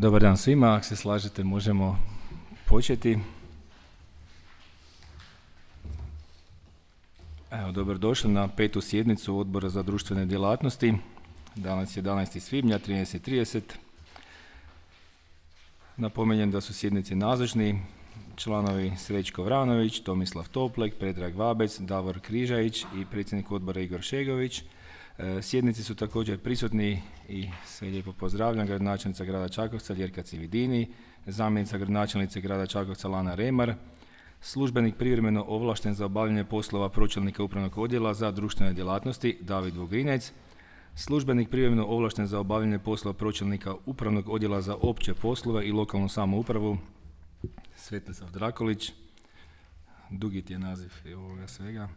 Dobar dan svima, ako se slažete možemo početi. Evo, dobrodošli na 5. sjednicu Odbora za društvene djelatnosti. Danas je 11. svibnja, 13:30. Napominjem da su sjednici nazočni članovi Srećko Vranović, Tomislav Toplek, Predrag Vabec, Davor Križajić i predsjednik odbora Igor Šegović. Sjednici su također prisutni i sve lijepo pozdravljam gradonačelnica grada Čakovca Ljerka Cividini, zamjenica gradonačelnice grada Čakovca Lana Remar, službenik privremeno ovlašten za obavljanje poslova pročelnika upravnog odjela za društvene djelatnosti David Vugrinec, službenik privremeno ovlašten za obavljanje poslova pročelnika upravnog odjela za opće poslove i lokalnu samoupravu Svetislav Drakolić, dugi ti je naziv ovoga svega,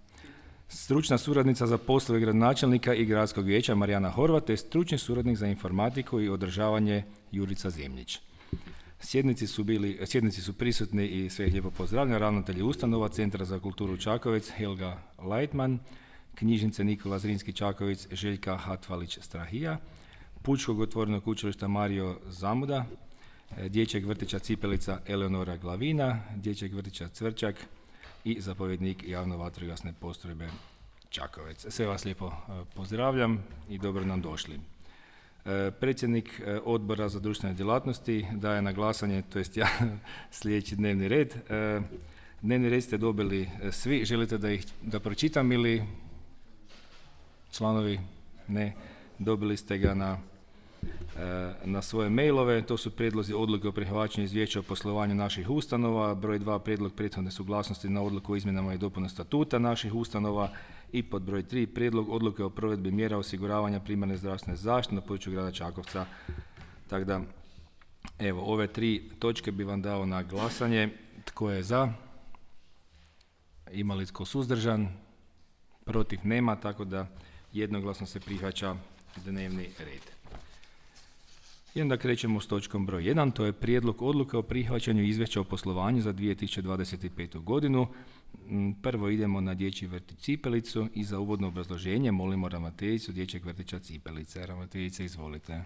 stručna suradnica za poslove gradonačelnika i gradskog vijeća Marijana Horvat te stručni suradnik za informatiku i održavanje Jurica Zemljić. Sjednici su prisutni i sve ih lijepo pozdravljam ravnatelji ustanova Centra za kulturu Čakovec Helga Leitman, knjižnice Nikola Zrinski Čakovec Željka Hatvalić-Strahija, Pučkog otvorenog učilišta Mario Zamuda, dječjeg vrtića Cipelica Eleonora Glavina, dječjeg vrtića Cvrčak i zapovjednik javno vatrogasne postrojbe Čakovec. Sve vas lijepo pozdravljam i dobro nam došli. Predsjednik odbora za društvene djelatnosti daje na glasanje, to jest ja, sljedeći dnevni red. Dnevni red ste dobili svi, želite da pročitam ili članovi? Ne, dobili ste ga na svoje mailove. To su prijedlozi odluke o prihvaćanju izvješća o poslovanju naših ustanova, broj 2 prijedlog prethodne suglasnosti na odluku o izmjenama i dopuni statuta naših ustanova i pod broj 3 prijedlog odluke o provedbi mjera osiguravanja primarne zdravstvene zaštite na području grada Čakovca. Tako da, evo, ove 3 točke bi vam dao na glasanje. Tko je za? Ima li tko suzdržan? Protiv nema, tako da jednoglasno se prihvaća dnevni red. I onda krećemo s točkom broj 1, to je prijedlog odluke o prihvaćanju izvješća o poslovanju za 2025. godinu. Prvo idemo na dječji vrtić Cipelicu i za uvodno obrazloženje molimo ravnateljicu dječjeg vrtića Cipelice. Ravnateljice, izvolite.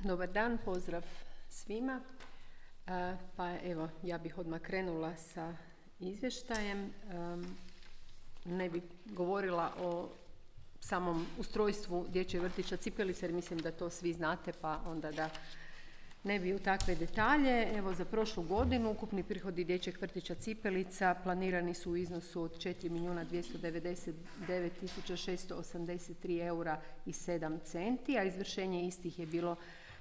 Dobar dan, pozdrav svima. Pa evo, ja bih odmah krenula sa izvještajem. Ne bih govorila o samom ustrojstvu dječjeg vrtića Cipelice, jer mislim da to svi znate, pa onda da ne bi u takve detalje. Evo, za prošlu godinu ukupni prihodi dječjeg vrtića Cipelica planirani su u iznosu od 4.299.683 eura i 7 centi, a izvršenje istih je bilo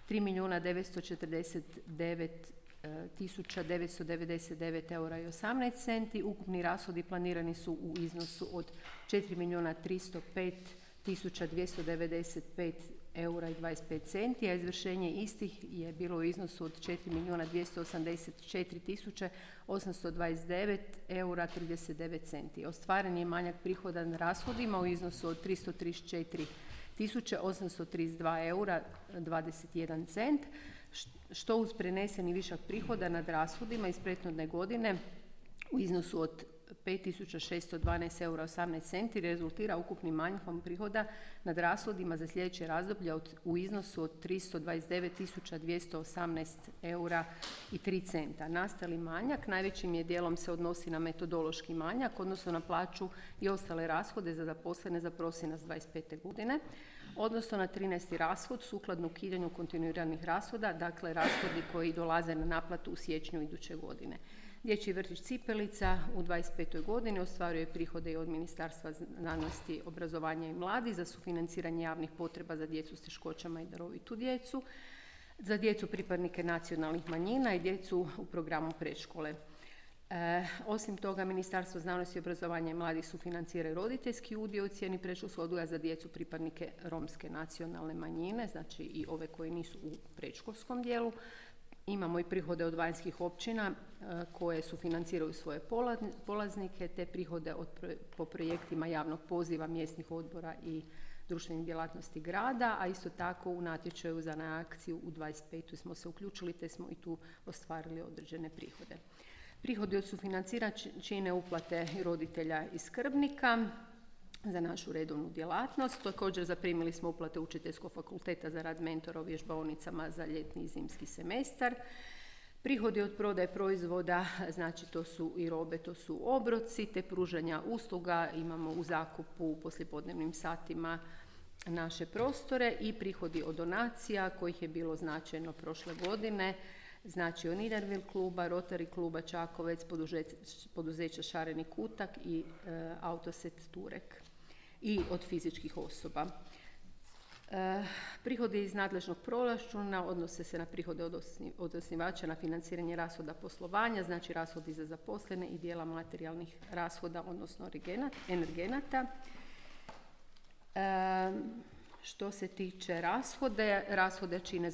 3.949.999 eura i 18 centi. Ukupni rashodi planirani su u iznosu od 4.305.295 eura i 25 centi, a izvršenje istih je bilo u iznosu od 4.284.829 eura 39 centi. Ostvaren je manjak prihoda na rashodima u iznosu od 334.832 eura 21 cent, što uz preneseni višak prihoda nad rashodima iz prethodne godine u iznosu od 5.612 eura 18 centi rezultira ukupnim manjkom prihoda nad rashodima za sljedeće razdoblje u iznosu od 329.218 eura i 3 centa. Nastali manjak najvećim je dijelom se odnosi na metodološki manjak, odnosno na plaću i ostale rashode za zaposlene za prosinac 25. godine, odnosno na 13. rashod sukladno ukidanju kontinuiranih rashoda, dakle rashodi koji dolaze na naplatu u siječnju iduće godine. Dječji vrtić Cipelica u 25. godini ostvaruje prihode i od Ministarstva znanosti, obrazovanja i mladih za sufinanciranje javnih potreba za djecu s teškoćama i darovitu djecu, za djecu pripadnike nacionalnih manjina i djecu u programu predškole. Osim toga, Ministarstvo znanosti, obrazovanja i mladih sufinancira roditeljski udio u cijeni predškolskog odgoja za djecu pripadnike romske nacionalne manjine, znači i ove koji nisu u predškolskom dijelu. Imamo i prihode od vanjskih općina koje sufinanciraju svoje polaznike, te prihode po projektima javnog poziva mjesnih odbora i društvenih djelatnosti grada, a isto tako u natječaju za akciju u 25. smo se uključili te smo i tu ostvarili određene prihode. Prihodi od sufinanciranja čine uplate roditelja i skrbnika, za našu redovnu djelatnost. Također zaprimili smo uplate Učiteljskog fakulteta za rad mentora u vježbaonicama za ljetni i zimski semestar. Prihodi od prodaje proizvoda, znači to su i robe, to su obroci, te pružanja usluga, imamo u zakupu u poslijepodnevnim satima naše prostore, i prihodi od donacija kojih je bilo značajno prošle godine, znači od Niedervil kluba, Rotary kluba Čakovec, poduzeća Šareni kutak i Autoset Turek, i od fizičkih osoba. Prihodi iz nadležnog proračuna odnose se na prihode od osnivača na financiranje rashoda poslovanja, znači rashodi za zaposlene i dijela materijalnih rashoda, odnosno energenata. Što se tiče rashode čine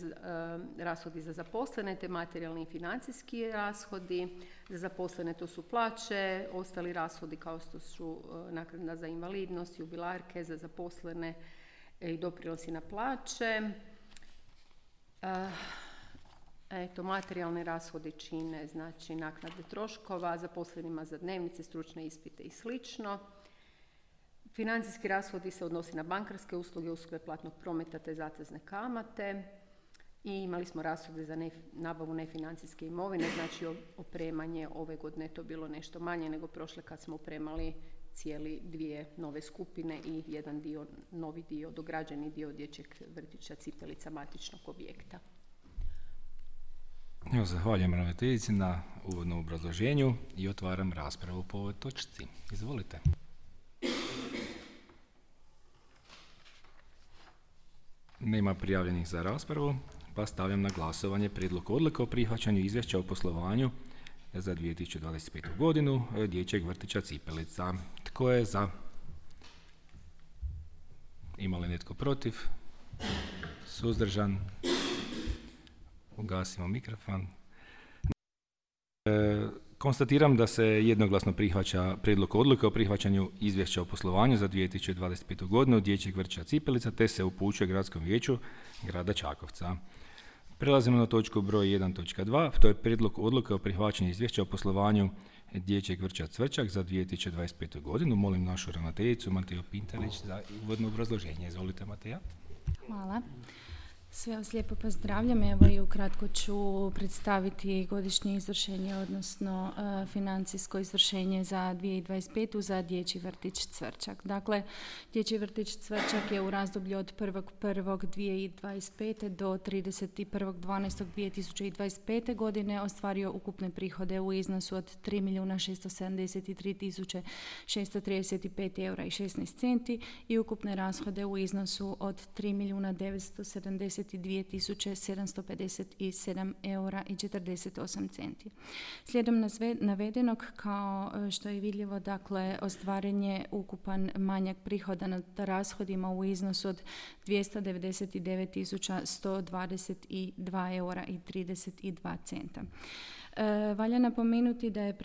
rashodi za zaposlene, te materijalni i financijski rashodi. Za zaposlene to su plaće, ostali rashodi kao što su naknada za invalidnost, jubilarke, za zaposlene i doprinosi na plaće. Materijalni rashodi čine znači naknade troškova, zaposlenima za dnevnice, stručne ispite i slično. Financijski rashodi se odnosi na bankarske usluge, usluge platnog prometa te zatezne kamate, i imali smo rashode za nabavu nefinancijske imovine, znači opremanje ove godine to bilo nešto manje nego prošle kad smo opremali cijeli 2 nove skupine i jedan novi dio, dograđeni dio dječjeg vrtića Cipelica matičnog objekta. Evo, zahvaljujem ravnateljici na uvodnom obrazloženju i otvaram raspravu po ovoj točci. Izvolite. Nema prijavljenih za raspravu, pa stavljam na glasovanje prijedlog odluke o prihvaćanju izvješća o poslovanju za 2025. godinu dječjeg vrtića Cipelica. Tko je za? Ima li netko protiv? Suzdržan? Ugasimo mikrofon. Konstatiram da se jednoglasno prihvaća prijedlog odluke o prihvaćanju izvješća o poslovanju za 2025. godinu dječjeg vrtića Cipelica, te se upućuje Gradskom vijeću grada Čakovca. Prelazimo na točku broj 1.2, to je prijedlog odluke o prihvaćanju izvješća o poslovanju dječjeg vrtića Cvrčak za 2025. godinu. Molim našu ravnateljicu Mateju Pintarić za uvodno obrazloženje. Izvolite, Mateja. Hvala. Sve vas lijepo pozdravljam. Evo i ukratko ću predstaviti godišnje izvršenje, odnosno financijsko izvršenje za 2025. za dječji vrtić Cvrčak. Dakle, dječji vrtić Cvrčak je u razdoblju od 1.1.2025. do 31.12.2025. godine ostvario ukupne prihode u iznosu od 3.673.635 eura i 16 centi i ukupne rashode u iznosu od 3.972.757 eura i 48 centi. Slijedom navedenog, kao što je vidljivo, dakle, ostvaren je ukupan manjak prihoda nad rashodima u iznosu od 299.122 eura i 32 centa. Valja napomenuti da je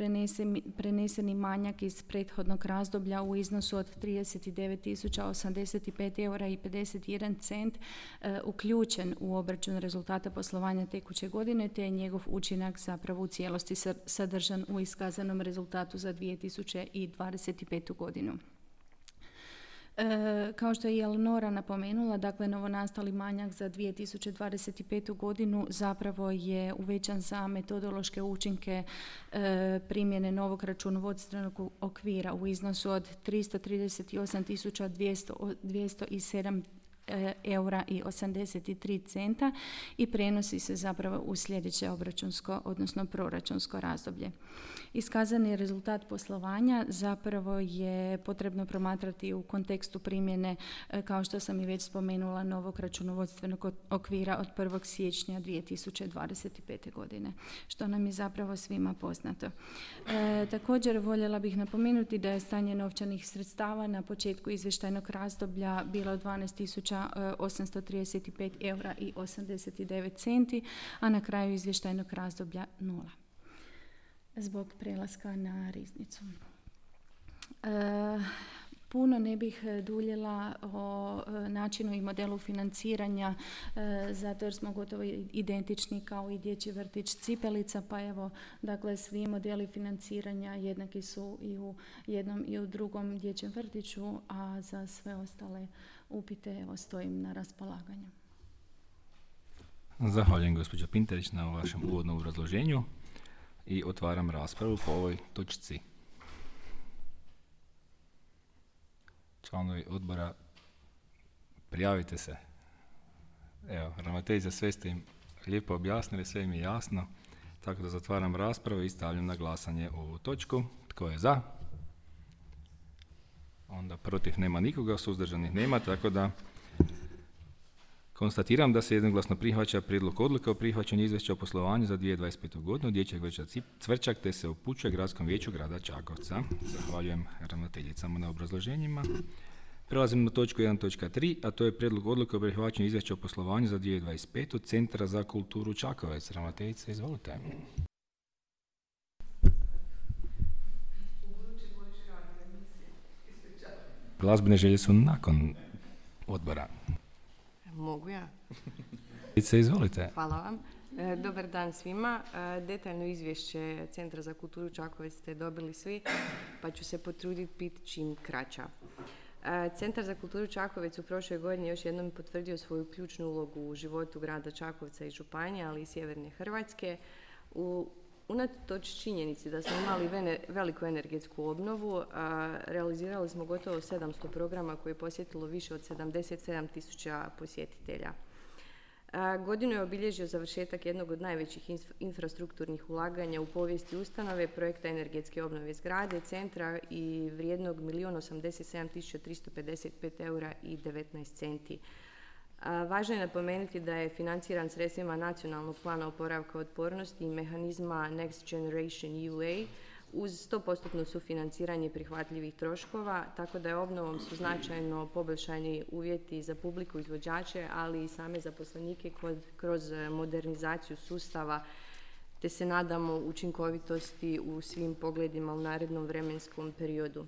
preneseni manjak iz prethodnog razdoblja u iznosu od 39.085 eura i 51 cent uključen u obračun rezultata poslovanja tekuće godine, te je njegov učinak zapravo u cijelosti sadržan u iskazanom rezultatu za 2025. godinu. Kao što je i Eleonora napomenula, dakle, novonastali manjak za 2025. godinu zapravo je uvećan za metodološke učinke primjene novog računovodstvenog okvira u iznosu od 338.207 eura i 83 centa i prenosi se zapravo u sljedeće obračunsko, odnosno proračunsko razdoblje. Iskazani rezultat poslovanja zapravo je potrebno promatrati u kontekstu primjene, kao što sam i već spomenula, novog računovodstvenog okvira od 1. siječnja 2025. godine, što nam je zapravo svima poznato. Također voljela bih napomenuti da je stanje novčanih sredstava na početku izvještajnog razdoblja bilo 12.835 eura i 89 centi, a na kraju izvještajnog razdoblja 0. Zbog prelaska na riznicu. Puno ne bih duljila o načinu i modelu financiranja, zato jer smo gotovo identični kao i dječji vrtić Cipelica, pa evo, dakle, svi modeli financiranja jednaki su i u jednom i u drugom dječjem vrtiću, a za sve ostale upite evo, stojim na raspolaganju. Zahvaljujem gospođo Pinterić na vašem uvodnom obrazloženju i otvaram raspravu po ovoj točci. Članovi odbora, prijavite se. Evo, ravnateljica, sve ste im lijepo objasnili, sve im je jasno, tako da zatvaram raspravu i stavljam na glasanje ovu točku. Tko je za? Onda protiv nema nikoga, suzdržanih nema, tako da konstatiram da se jednoglasno prihvaća prijedlog odluke o prihvaćanju izvješća o poslovanju za 2025. godinu dječjeg vrtića Cvrčak, te se upućuje Gradskom vijeću grada Čakovca. Zahvaljujem ravnateljicama na obrazloženjima. Prelazimo na točku 1.3, a to je prijedlog odluke o prihvaćanju izvješća o poslovanju za 2025. Centra za kulturu Čakovec. Ravnateljice, izvolite. Glazbene želje su nakon odbora. Mogu ja? Izvolite. Hvala vam. Dobar dan svima. Detaljno izvješće Centra za kulturu Čakovec ste dobili svi, pa ću se potruditi biti čim kraća. Centar za kulturu Čakovec u prošloj godini još jednom potvrdio svoju ključnu ulogu u životu grada Čakovca i županije, ali i sjeverne Hrvatske. Unatoč činjenici da smo imali veliku energetsku obnovu, realizirali smo gotovo 700 programa koje je posjetilo više od 77.000 posjetitelja. Godinu je obilježio završetak jednog od najvećih infrastrukturnih ulaganja u povijesti ustanove, projekta energetske obnove zgrade, centra i vrijednog 1.087.355 eura i 19 centi. Važno je napomenuti da je financiran sredstvima Nacionalnog plana oporavka otpornosti i mehanizma Next Generation EUA uz 100% sufinanciranje prihvatljivih troškova, tako da je obnovom su značajno poboljšani uvjeti za publiku, izvođače, ali i same zaposlenike kroz modernizaciju sustava, te se nadamo učinkovitosti u svim pogledima u narednom vremenskom periodu.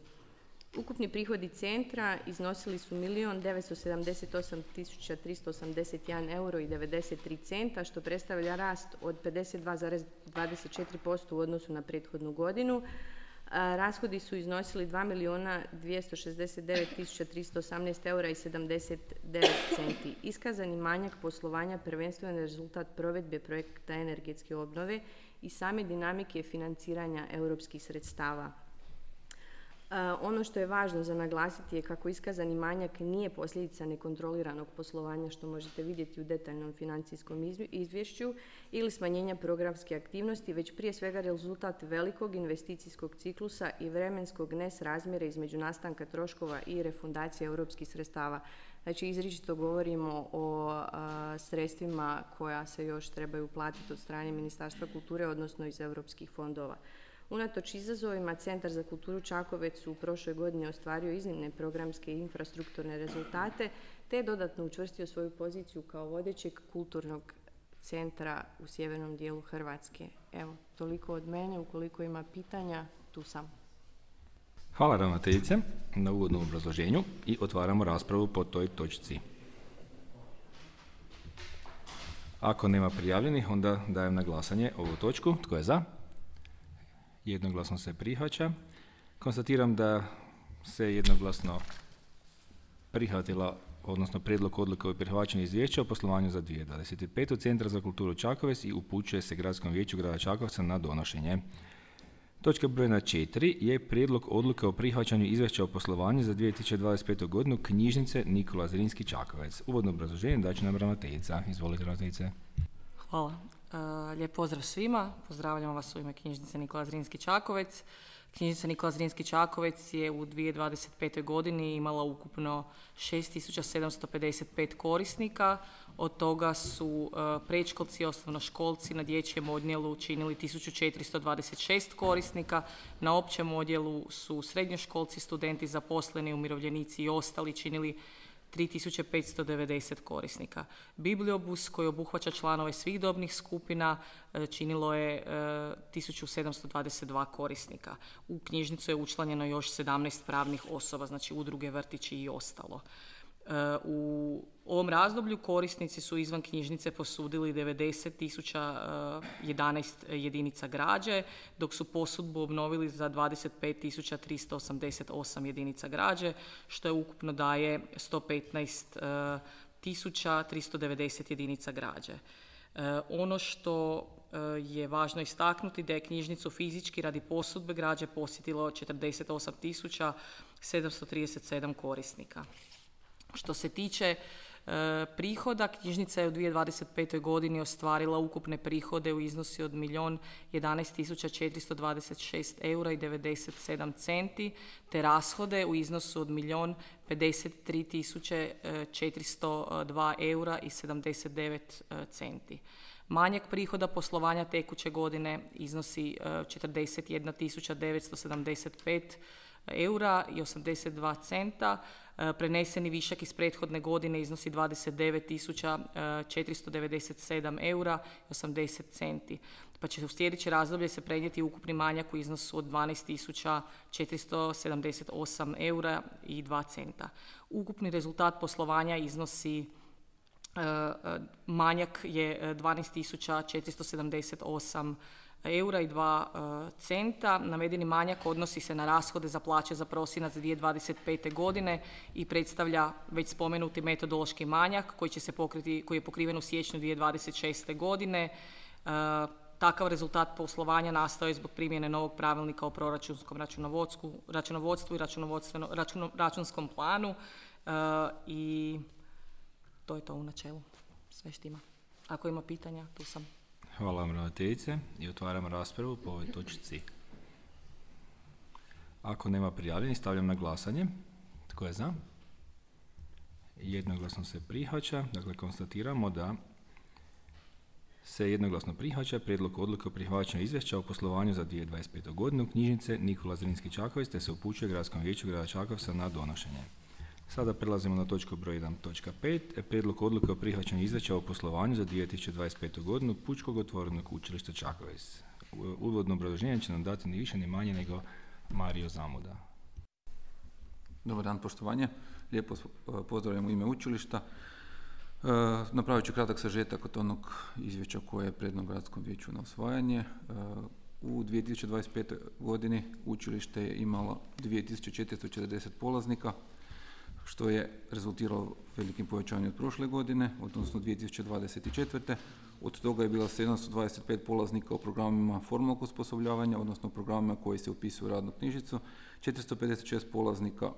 Ukupni prihodi centra iznosili su 1.978.381 euro i 93 centa, što predstavlja rast od 52,24% u odnosu na prethodnu godinu. Rashodi su iznosili 2.269.318 eura i 79 centi. Iskazani manjak poslovanja prvenstveno je rezultat provedbe projekta energetske obnove i same dinamike financiranja europskih sredstava. Ono što je važno za naglasiti je kako iskazani manjak nije posljedica nekontroliranog poslovanja, što možete vidjeti u detaljnom financijskom izvješću, ili smanjenja programske aktivnosti, već prije svega rezultat velikog investicijskog ciklusa i vremenskog nesrazmjera između nastanka troškova i refundacije europskih sredstava. Znači, izričito govorimo o sredstvima koja se još trebaju platiti od strane Ministarstva kulture, odnosno iz europskih fondova. Unatoč izazovima, Centar za kulturu Čakovec u prošloj godini ostvario iznimne programske i infrastrukturne rezultate, te je dodatno učvrstio svoju poziciju kao vodećeg kulturnog centra u sjevernom dijelu Hrvatske. Evo, toliko od mene. Ukoliko ima pitanja, tu sam. Hvala ravnateljice na uvodnom obrazloženju i otvaramo raspravu po toj točci. Ako nema prijavljenih, onda dajem na glasanje ovu točku. Tko je za? Jednoglasno se prihvaća. Konstatiram da se jednoglasno prihvatila, odnosno prijedlog odluke o prihvaćanju izvješća o poslovanju za 2025. Centra za kulturu Čakovec i upućuje se Gradskom vijeću grada Čakovca na donošenje. Točka brojna 4 je prijedlog odluke o prihvaćanju izvješća o poslovanju za 2025. godinu knjižnice Nikola Zrinski Čakovec. Uvodno obrazloženje daće nam ravnateljica. Izvolite, ravnateljice. Hvala. Lijep pozdrav svima. Pozdravljam vas u ime knjižnice Nikola Zrinski Čakovec. Knjižnica Nikola Zrinski Čakovec je u 2025. godini imala ukupno 6.755 korisnika. Od toga su predškolci i osnovnoškolci na dječjem odjelu činili 1.426 korisnika. Na općem odjelu su srednjoškolci, studenti, zaposleni, umirovljenici i ostali činili 3590 korisnika. Bibliobus koji obuhvaća članove svih dobnih skupina činilo je 1722 korisnika. U knjižnicu je učlanjeno još 17 pravnih osoba, znači udruge, vrtići i ostalo. U ovom razdoblju korisnici su izvan knjižnice posudili 90.011 jedinica građe, dok su posudbu obnovili za 25.388 jedinica građe, što je ukupno daje 115.390 jedinica građe. Ono što je važno istaknuti da je knjižnicu fizički radi posudbe građe posjetilo 48.737 korisnika. Što se tiče prihoda, knjižnica je u 2025. godini ostvarila ukupne prihode u iznosi od 1.011.426 eura i 97 centi, te rashode u iznosu od 1.053.402 eura i 79 centi. Manjak prihoda poslovanja tekuće godine iznosi 41.975 eura i 82 centa. Preneseni višak iz prethodne godine iznosi 29.497 eura i 80 centi. Pa će u sljedeće razdoblje se prenijeti ukupni manjak u iznosu od 12.478 eura i 2 centa. Ukupni rezultat poslovanja iznosi manjak je 12.478 eura i 2 centa. Navedeni manjak odnosi se na rashode za plaće za prosinac 2025. godine i predstavlja već spomenuti metodološki manjak koji će se pokriti, koji je pokriven u siječnju 2026. godine. Takav rezultat poslovanja nastao je zbog primjene novog pravilnika o proračunskom računovodstvu i računskom planu i to je to u načelu. Sve štima. Ako ima pitanja, tu sam. Hvala vam, ravnateljice, i otvaram raspravu po ovoj točci. Ako nema prijavljenih, stavljam na glasanje. Tko je za? Jednoglasno se prihvaća. Dakle, konstatiramo da se jednoglasno prihvaća prijedlog odluke o prihvaćanju izvješća o poslovanju za 2025. godinu knjižnice Nikola Zrinski Čakovec, te se upućuje Gradskom vijeću grada Čakovca na donošenje. Sada prelazimo na točku broj 1.5. Prijedlog odluke o prihvaćanju izvješća o poslovanju za 2025. godinu Pučkog otvorenog učilišta Čakovec. Uvodno obrazloženje će nam dati ni više ni manje nego Mario Zamuda. Dobar dan, poštovanje. Lijepo pozdravljam u ime učilišta. Napravit ću kratak sažetak od onog izvješća koje je predano Gradskom vijeću na usvajanje. U 2025. godini učilište je imalo 2440 polaznika, što je rezultiralo velikim povećanjem od prošle godine, odnosno 2024. Od toga je bilo 725 polaznika u programima formalnog osposobljavanja, odnosno programima koji se upisuju u radnu knjižicu, 456 polaznika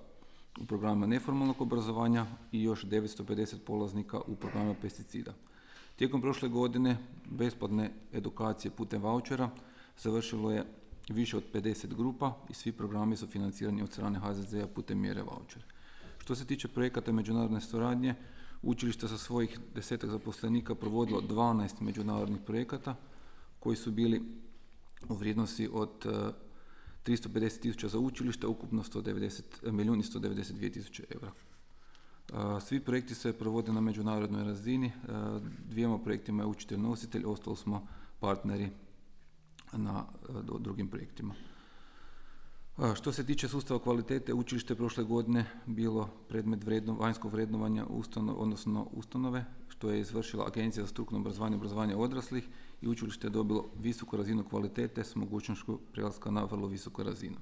u programima neformalnog obrazovanja i još 950 polaznika u programima pesticida. Tijekom prošle godine besplatne edukacije putem vaučera završilo je više od 50 grupa i svi programi su financirani od strane HZZ-a putem mjere vaučer. Što se tiče projekata međunarodne suradnje, učilište sa svojih 10 zaposlenika provodilo 12 međunarodnih projekata koji su bili u vrijednosti od 350.000 za učilište, ukupno 1.192.000 eura. Svi projekti se provode na međunarodnoj razini, dvijema projektima je učitelj nositelj, ostalo smo partneri na drugim projektima. Što se tiče sustava kvalitete, učilište je prošle godine bilo predmet vanjskog vrednovanja ustanove, što je izvršila Agencija za strukovno obrazovanje odraslih i učilište je dobilo visoku razinu kvalitete s mogućnošću prelaska na vrlo visoku razinu.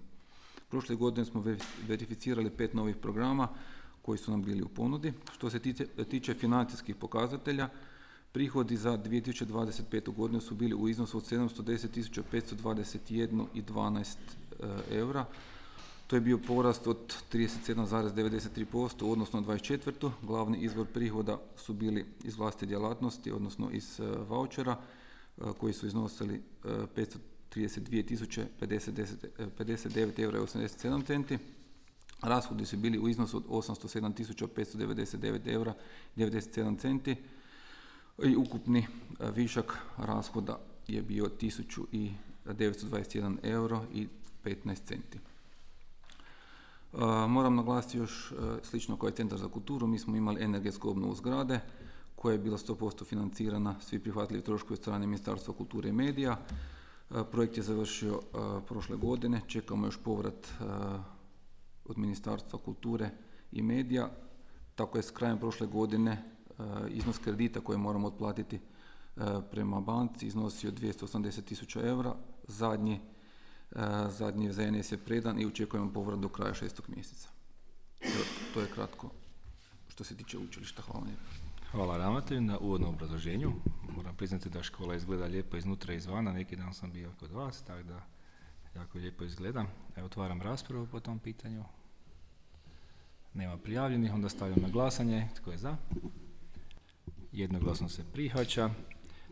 Prošle godine smo verificirali 5 novih programa koji su nam bili u ponudi. Što se tiče financijskih pokazatelja, prihodi za 2025. godinu su bili u iznosu od 710.521,12 eura. To je bio porast od 37,93% u odnosu na 24. Glavni izvor prihoda su bili iz vlastite djelatnosti, odnosno iz vaučera, koji su iznosili 532.059 eura i 87 centi. Rashodi su bili u iznosu od 807.599 eura i 97 centi. I ukupni višak rashoda je bio 1.921 euro i 15 centi. Moram naglasiti još slično kao i Centar za kulturu, mi smo imali energetsku obnovu zgrade koja je bila 100% financirana, svi prihvatljivi troškovi od strane Ministarstva kulture i medija. Projekt je završio prošle godine, čekamo još povrat od Ministarstva kulture i medija. Tako je s krajem prošle godine iznos kredita koje moramo otplatiti prema banci iznosio 280.000 eura. Zadnji ZNS je predan i očekujemo povrat do kraja 6. mjeseca. To je kratko što se tiče učilišta. Hvala lijepo. Hvala ravnatelju na uvodnom obrazloženju. Moram priznati da škola izgleda lijepo iznutra i izvana. Neki dan sam bio kod vas, tako da jako lijepo izgleda. Otvaram raspravu po tom pitanju. Nema prijavljenih, onda stavljam na glasanje. Tko je za? Jednoglasno se prihvaća.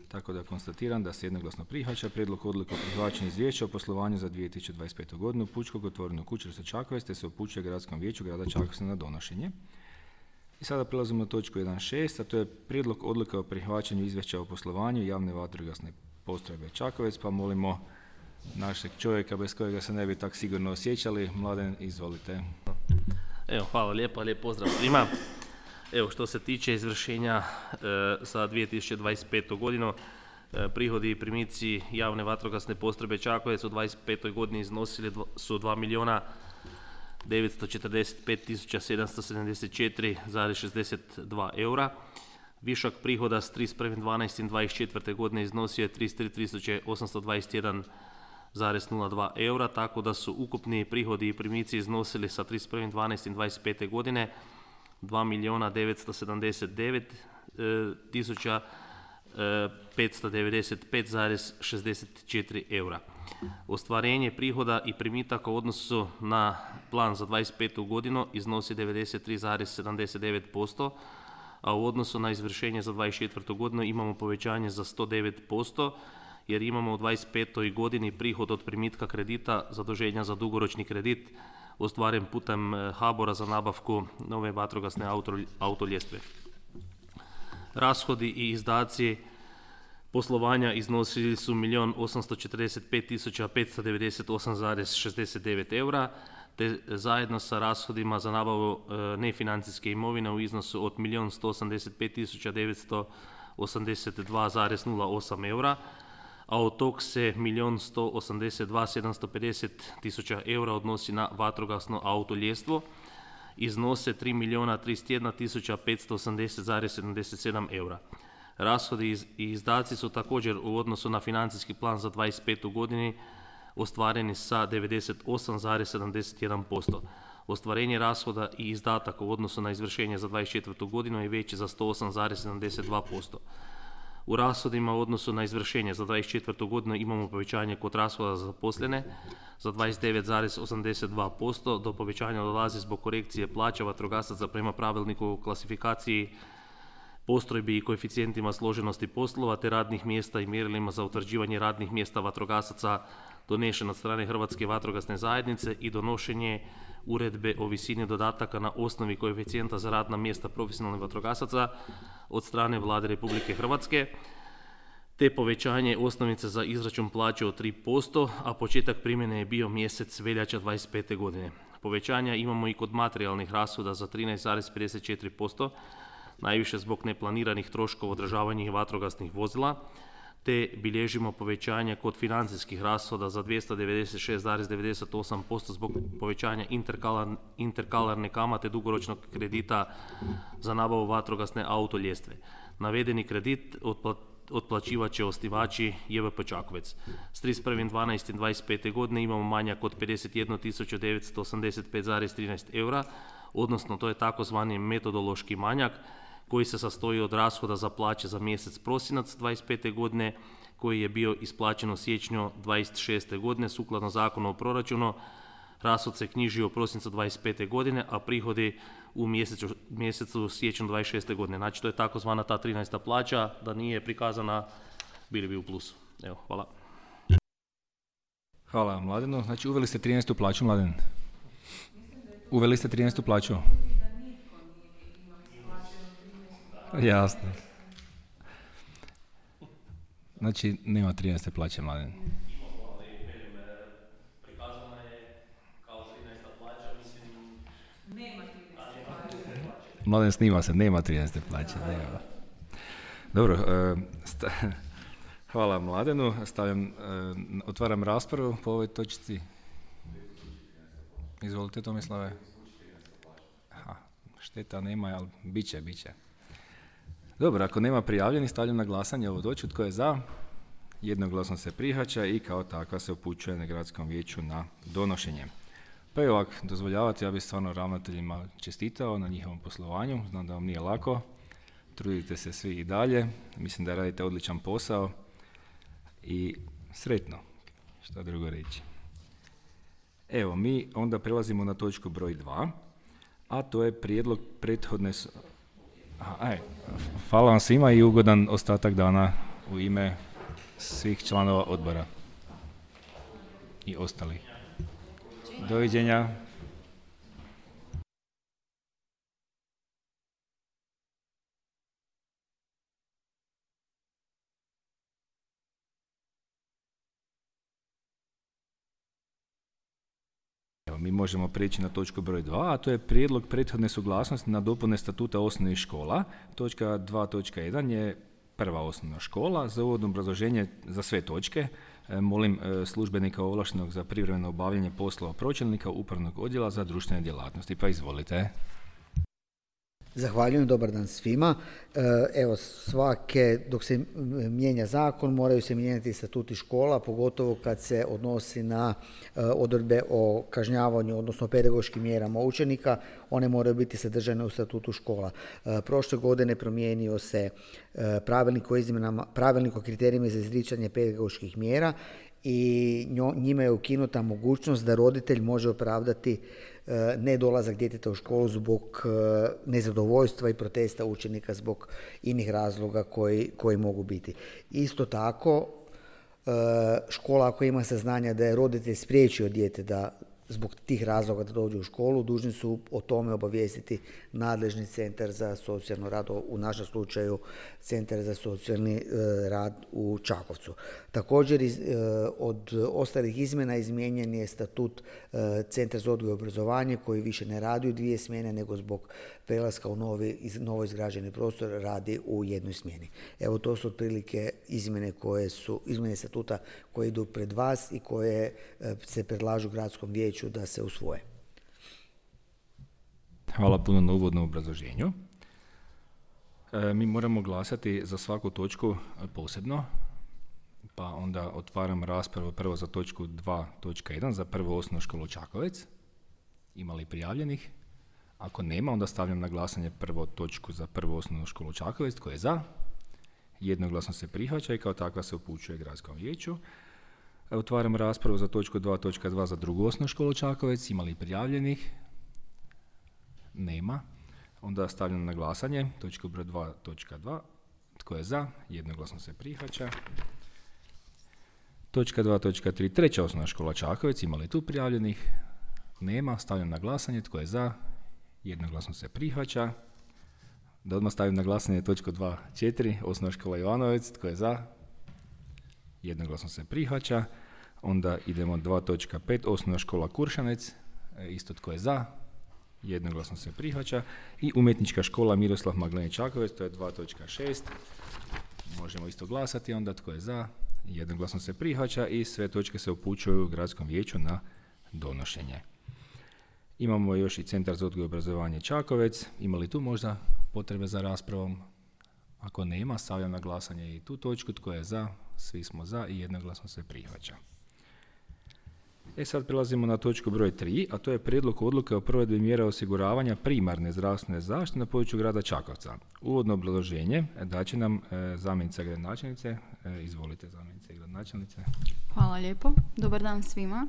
Tako da konstatiram da se jednoglasno prihvaća prijedlog odluke o prihvaćanju izvješća o poslovanju za 2025. godinu Pučkog otvorenog učilišta Čakovec te se upućuje Gradskom vijeću grada Čakovca na donošenje. I sada prelazimo na točku 1.6, a to je prijedlog odluke o prihvaćanju izvješća o poslovanju javne vatrogasne postrojbe Čakovec, pa molimo našeg čovjeka bez kojega se ne bi tak sigurno osjećali. Mladen, izvolite. Evo, hvala lijepa, lijep pozdrav svima. Evo, što se tiče izvršenja za 2025. godinu, prihodi i primici javne vatrogasne postrojbe Čakovec u 2025. godini iznosili su 2.945.774,62 eura. Višak prihoda s 31.12.24. godine iznosio je 33.821,02 eura, tako da su ukupni prihodi i primici iznosili sa 31.12.25. godine 2.979.595,64 eura. Ostvarenje prihoda i primitaka u odnosu na plan za 25. godinu iznosi 93,79%, a u odnosu na izvršenje za 24. godinu imamo povećanje za 109%, jer imamo u 25. godini prihod od primitka kredita zaduženja za dugoročni kredit ostvaren putem HBOR-a za nabavku nove vatrogasne autoljestve. Rashodi i izdaci poslovanja iznosili su 1.845.598,69 eura, te zajedno sa rashodima za nabavu nefinancijske imovine u iznosu od 1.185.982,08 eura, a od tog se 1.182.750.000 eura odnosi na vatrogasno autoljestvo, iznose 3.031.580,77 eura. Rashodi i izdaci su također u odnosu na financijski plan za 25. godini ostvareni sa 98,71%. Ostvarenje rashoda i izdataka u odnosu na izvršenje za 24. godinu je veći za 108,72%. U rashodima u odnosu na izvršenje za 24. godinu imamo povećanje kod rashoda za zaposlene za 29,82%, do povećanja dolazi zbog korekcije plaća vatrogasaca prema pravilniku o klasifikaciji postrojbi i koeficijentima složenosti poslova te radnih mjesta i mjerilima za utvrđivanje radnih mjesta vatrogasaca donešen od strane Hrvatske vatrogasne zajednice i donošenje uredbe o visini dodataka na osnovi koeficijenta za radna mjesta profesionalnih vatrogasaca od strane Vlade Republike Hrvatske, te povećanje osnovice za izračun plaće od 3%, a početak primjene je bio mjesec veljača 25. godine. Povećanja imamo i kod materijalnih rashoda za 13,54%, najviše zbog neplaniranih troškova održavanja vatrogasnih vozila, te bilježimo povećanje kod financijskih rashoda za 296,98% zbog povećanja interkalarne kamate dugoročnog kredita za nabavu vatrogasne autoljestve. Navedeni kredit otplaćivat će osnivači JVP Čakovec. S 31.12.25. godine imamo manjak od 51.985,13 eura, odnosno to je takozvani metodološki manjak koji se sastoji od rashoda za plaće za mjesec prosinac 25. godine koji je bio isplaćen u siječnju 26. godine sukladno Zakonu o proračunu. Rashod se knjižio u prosincu 25. godine, a prihodi u mjesecu siječnju 26. godine. Znači to je takozvana ta 13. plaća, da nije prikazana bili bi u plusu. Evo, hvala. Hvala Mladenu. Znači uveli ste 13. plaću, Mladen? Uveli ste 13. plaću? Jasno. Znači, nema 13. plaće, Mladen. Prikazana je kao 13. plaća, mislim, Mladen, snima se, nema 13. plaće. Nema. Dobro, hvala Mladenu. Otvaram raspravu po ovoj točci. Izvolite, Tomislave. Šteta nema, ali bit će. Dobro, ako nema prijavljenih, stavljam na glasanje ovu točku. Tko je za? Jednoglasno se prihvaća i kao takva se upućuje na gradskom vijeću na donošenje. Pa i ovako, dozvoljavate, ja bih stvarno ravnateljima čestitao na njihovom poslovanju. Znam da vam nije lako. Trudite se svi i dalje. Mislim da radite odličan posao. I sretno. Šta drugo reći. Evo, mi onda prelazimo na točku broj 2. A to je prijedlog prethodne... Hvala vam svima i ugodan ostatak dana u ime svih članova odbora i ostalih. Doviđenja. Mi možemo prijeći na točku broj 2, a to je prijedlog prethodne suglasnosti na dopune statuta osnovnih škola. Točka 2.1 je prva osnovna škola. Za uvodno obrazloženje za sve točke molim službenika ovlaštenog za privremeno obavljanje poslova pročelnika upravnog odjela za društvene djelatnosti. Pa izvolite. Zahvaljujem, dobar dan svima. Evo, dok se mijenja zakon, moraju se mijenjati statuti škola, pogotovo kad se odnosi na odredbe o kažnjavanju, odnosno pedagoškim mjerama učenika, one moraju biti sadržane u statutu škola. Prošle godine promijenio se pravilnik o kriterijima za izricanje pedagoških mjera i njima je ukinuta mogućnost da roditelj može opravdati nedolazak djeteta u školu zbog nezadovoljstva i protesta učenika zbog inih razloga koji mogu biti. Isto tako, škola ako ima saznanja da je roditelj spriječio dijete da zbog tih razloga da dođe u školu, dužni su o tome obavijestiti nadležni centar za socijalno rad, u našem slučaju Centar za socijalni rad u Čakovcu. Također, od ostalih izmjena izmijenjen je statut Centra za odgoj i obrazovanje koji više ne radi u 2 smjene, nego zbog prelaska u novo izgrađeni prostor radi u 1 smjeni. Evo, to su otprilike izmjene statuta koje idu pred vas i koje se predlažu gradskom vijeću da se usvoje. Hvala puno na uvodnom obrazloženju. Mi moramo glasati za svaku točku posebno, pa onda otvaram raspravu prvo za točku 2.1 za prvu osnovnu školu Čakovec. Ima li prijavljenih? Ako nema, onda stavljam na glasanje prvu točku za prvu osnovnu školu Čakovec. Tko je za? Jednoglasno se prihvaća i kao takva se upućuje gradskom vijeću. Otvaram raspravu za točku 2.2 za drugu osnovnu školu Čakovec. Ima li prijavljenih? Nema. Onda stavljam na glasanje točku broj 2.2. Tko je za? Jednoglasno se prihvaća. Točka 2.3. Treća osnovna škola Čakovec. Ima li tu prijavljenih? Nema. Stavljam na glasanje. Tko je za? Jednoglasno se prihvaća. Da odmah stavim na glasanje točku 2.4. Osnovna škola Ivanovac. Tko je za? Jednoglasno se prihvaća. Onda idemo 2.5. Osnovna škola Kuršanec. Isto tko je za? Jednoglasno se prihvaća. I umjetnička škola Miroslav Magdaleni Čakovec, to je 2.6. Možemo isto glasati, onda tko je za? Jednoglasno se prihvaća i sve točke se upućuju gradskom vijeću na donošenje. Imamo još i Centar za odgoj i obrazovanje Čakovec. Ima li tu možda potrebe za raspravom? Ako nema, stavljam na glasanje i tu točku. Tko je za? Svi smo za i jednoglasno se prihvaća. Sad prelazimo na točku broj 3, a to je prijedlog odluke o provedbi mjera osiguravanja primarne zdravstvene zaštite na području grada Čakovca. Uvodno obrazloženje daće nam zamjenica gradonačelnice. Izvolite, zamjenice gradonačelnice. Hvala lijepo. Dobar dan svima.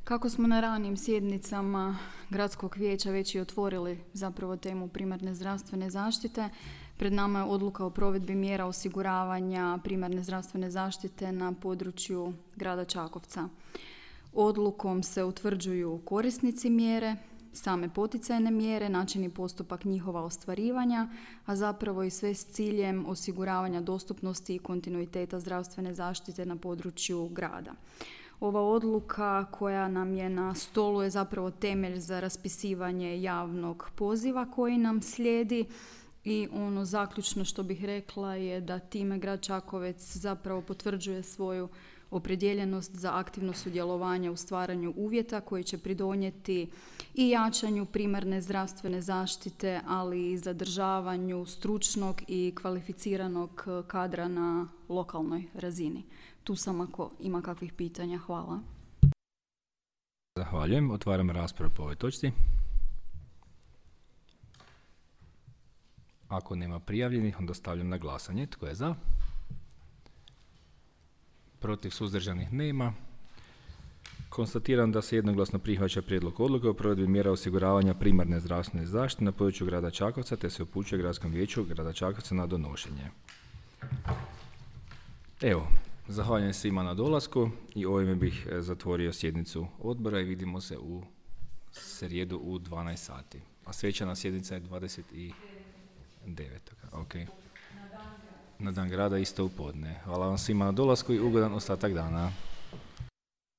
Kako smo na ranijim sjednicama gradskog vijeća već i otvorili zapravo temu primarne zdravstvene zaštite, pred nama je odluka o provedbi mjera osiguravanja primarne zdravstvene zaštite na području grada Čakovca. Odlukom se utvrđuju korisnici mjere, same poticajne mjere, način i postupak njihova ostvarivanja, a zapravo i sve s ciljem osiguravanja dostupnosti i kontinuiteta zdravstvene zaštite na području grada. Ova odluka koja nam je na stolu je zapravo temelj za raspisivanje javnog poziva koji nam slijedi i ono zaključno što bih rekla je da time grad Čakovec zapravo potvrđuje svoju opredjeljenost za aktivno sudjelovanje u stvaranju uvjeta koji će pridonijeti i jačanju primarne zdravstvene zaštite, ali i zadržavanju stručnog i kvalificiranog kadra na lokalnoj razini. Tu sam ako ima kakvih pitanja. Hvala. Zahvaljujem. Otvaram raspravu po ovoj točci. Ako nema prijavljenih, onda stavljam na glasanje. Tko je za? Protiv, suzdržanih nema. Konstatiram da se jednoglasno prihvaća prijedlog odluke o provedbi mjera osiguravanja primarne zdravstvene zaštite na području grada Čakovca, te se upućuje Gradskom vijeću grada Čakovca na donošenje. Evo, zahvaljujem svima na dolasku i ovime bih zatvorio sjednicu odbora i vidimo se u srijedu u 12 sati. A svečana sjednica je 29. Okay. Na dan grada isto u podne. Hvala vam svima na dolasku i ugodan ostatak dana.